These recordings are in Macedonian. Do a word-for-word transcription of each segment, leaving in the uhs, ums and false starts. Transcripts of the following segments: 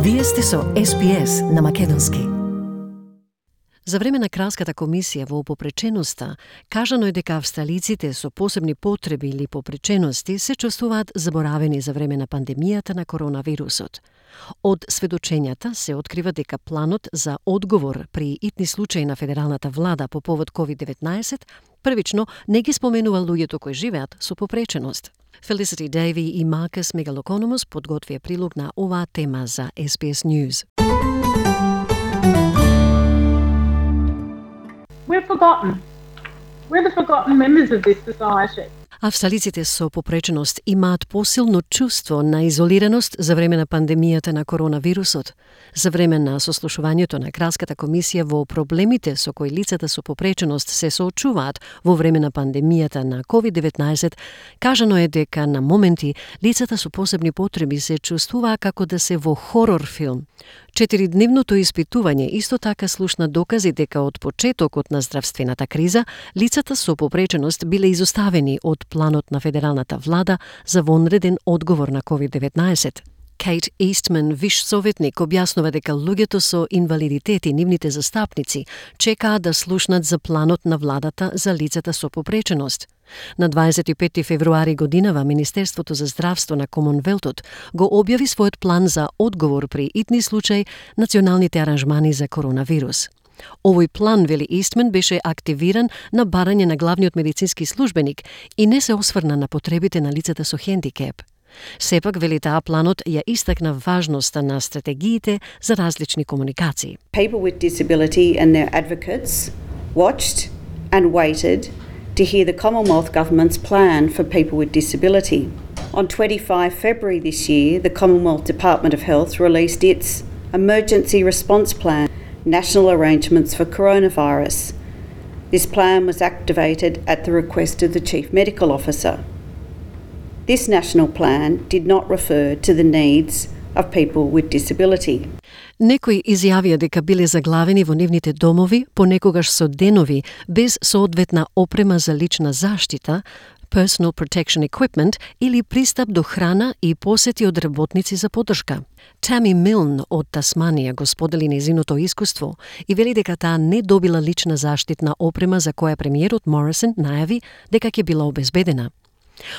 Вие сте со Ес Би Ес на македонски. За време на Кралската комисија во попреченоста, кажано е дека австралиците со посебни потреби или попречености се чувствуваат заборавени за време на пандемијата на коронавирусот. Од сведочењата се открива дека планот за одговор при итни случаи на федералната влада по повод ковид деветнаесет првично не ги споменува луѓето кои живеат со попреченост. Felicity Davey и Маркус Мегалокономос подготвија прилог на оваа тема за Ес Би Ес News. We're forgotten. We're the forgotten members of this society. Австралиците со попреченост имаат посилно чувство на изолираност за време на пандемијата на коронавирусот. За време на сослушувањето на Кралската комисија во проблемите со кои лицата со попреченост се соочуваат во време на пандемијата на ковид деветнаесет, кажано е дека на моменти лицата со посебни потреби се чувствуваа како да се во хорор филм. Четиридневното испитување исто така слушна докази дека од почетокот на здравствената криза лицата со попреченост биле изоставени од планот на федералната влада за вонреден одговор на ковид деветнаесет. Кейт Истман, виш советник, објаснува дека луѓето со инвалидитет и нивните застапници чекаат да слушнат за планот на владата за лицата со попреченост. На дваесет и пети февруари годинава Министерството за здравство на Комонвелтот го објави својот план за одговор при итни случаи националните аранжмани за коронавирус. Овој план, вели Истман, беше активиран на барање на главниот медицински службеник и не се осврна на потребите на лицата со хендикеп. Сепак, вели таа, планот ја истакна важноста на стратегиите за различни комуникации. People with disability and their advocates watched and waited to hear the Commonwealth Government's plan for people with disability. On twenty-fifth of February this year, the Commonwealth Department of Health released its Emergency Response Plan, National Arrangements for Coronavirus. This plan was activated at the request of the Chief Medical Officer. This national plan did not refer to the needs of people with disability. Некои изјавија дека биле заглавени во нивните домови, понекогаш со денови, без соодветна опрема за лична заштита, personal protection equipment или пристап до храна и посети од работници за поддршка. Тами Милн од Тасманија го сподели нејзиното искуство и вели дека таа не добила лична заштитна опрема за која премиерот Морисон најави дека ќе била обезбедена.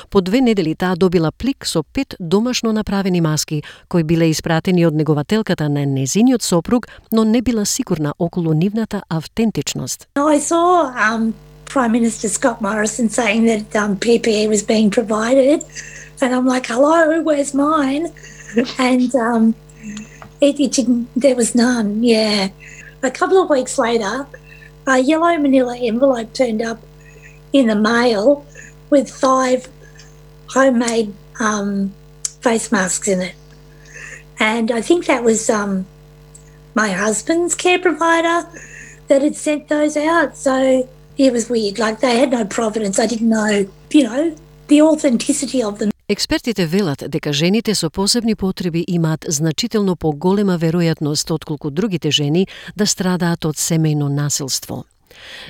По две недели таа добила плик со пет домашно направени маски, кои биле испратени од негователката на незиниот сопруг, но не била сигурна околу нивната автентичност. I saw um, Prime Minister Scott Morrison saying that um, P P E was being provided, and I'm like, hello, where's mine? And um, it, it didn't, there was none, yeah. A couple of weeks later, a yellow manila envelope turned up in the mail with five homemade um, face masks in it. And I think that was um, my husband's care provider that had sent those out. So it was weird. Like, they had no provenance. I didn't know, you know, the authenticity of them. Експертите велат дека жените со посебни потреби имаат значително поголема веројатност отколку другите жени да страдаат од семејно насилство.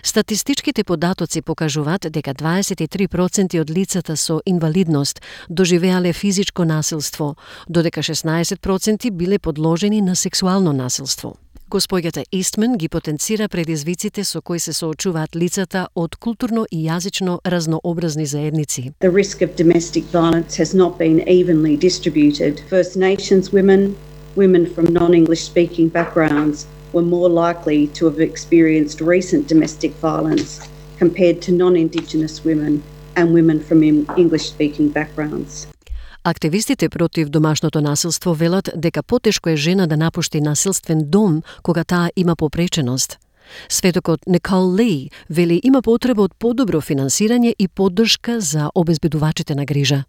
Статистичките податоци покажуваат дека дваесет и три проценти од лицата со инвалидност доживеале физичко насилство, додека шеснаесет проценти биле подложени на сексуално насилство. Госпоѓата Истман ги потенцира предизвиците со кои се соочуваат лицата од културно и јазично разнообразни заедници. The risk of domestic violence has not been evenly distributed. First Nations women, women from non-English speaking backgrounds were more likely to have experienced recent domestic violence compared to non-Indigenous women and women from English-speaking backgrounds. Активистите против домашното насилство велат дека потешко е жена да напушти насилствен дом кога таа има попреченост. Светокот Никол Ли вели има потреба од подобро финансирање и поддршка за обезбедувачите на грижа.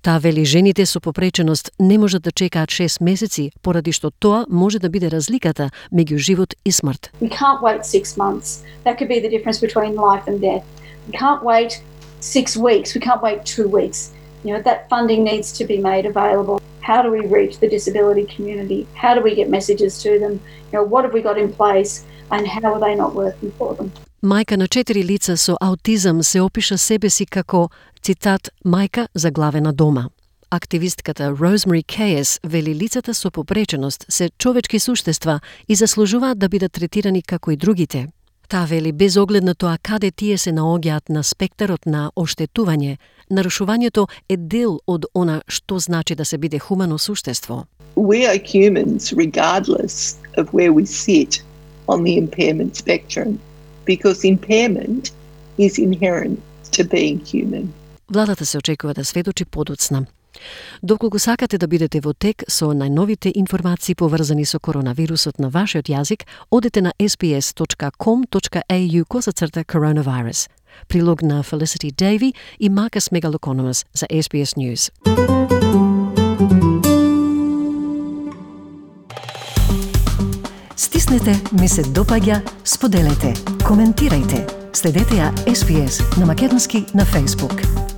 Таа вели жените со попреченост не можат да чекаат шест месеци, поради што тоа може да биде разликата меѓу живот и смрт. We can't wait six months. That could be the difference between life and death. We can't wait six weeks. We can't wait two weeks. You know, that funding needs to be made available. How do we reach the disability community? How do we get messages to them? You know, what have we got in place and how are they not working for them? Мајка на четири лица со аутизам се опиша себе си како, цитат, мајка заглавена дома. Активистката Rosemary Kayes вели лицата со попреченост се човечки суштества и заслужуваат да бидат третирани како и другите. Таа вели без оглед на тоа каде тие се наоѓаат на спектарот на оштетување, нарушувањето е дел од она што значи да се биде хумано суштество. We are humans regardless of where we sit on the impairment spectrum, because impairment is inherent to being human. Владата се очекува да сведочи подоцна. Доколку сакате да бидете во тек со најновите информации поврзани со коронавирусот на вашиот јазик, одете на ес би ес точка ком точка ей ю косацрта coronavirus. Прилог на Felicity Davey и Marcus Megalokonomos за ес би ес News. Стиснете, ми се допаѓа, споделете, коментирајте. Следете ја ес би ес на македонски на Facebook.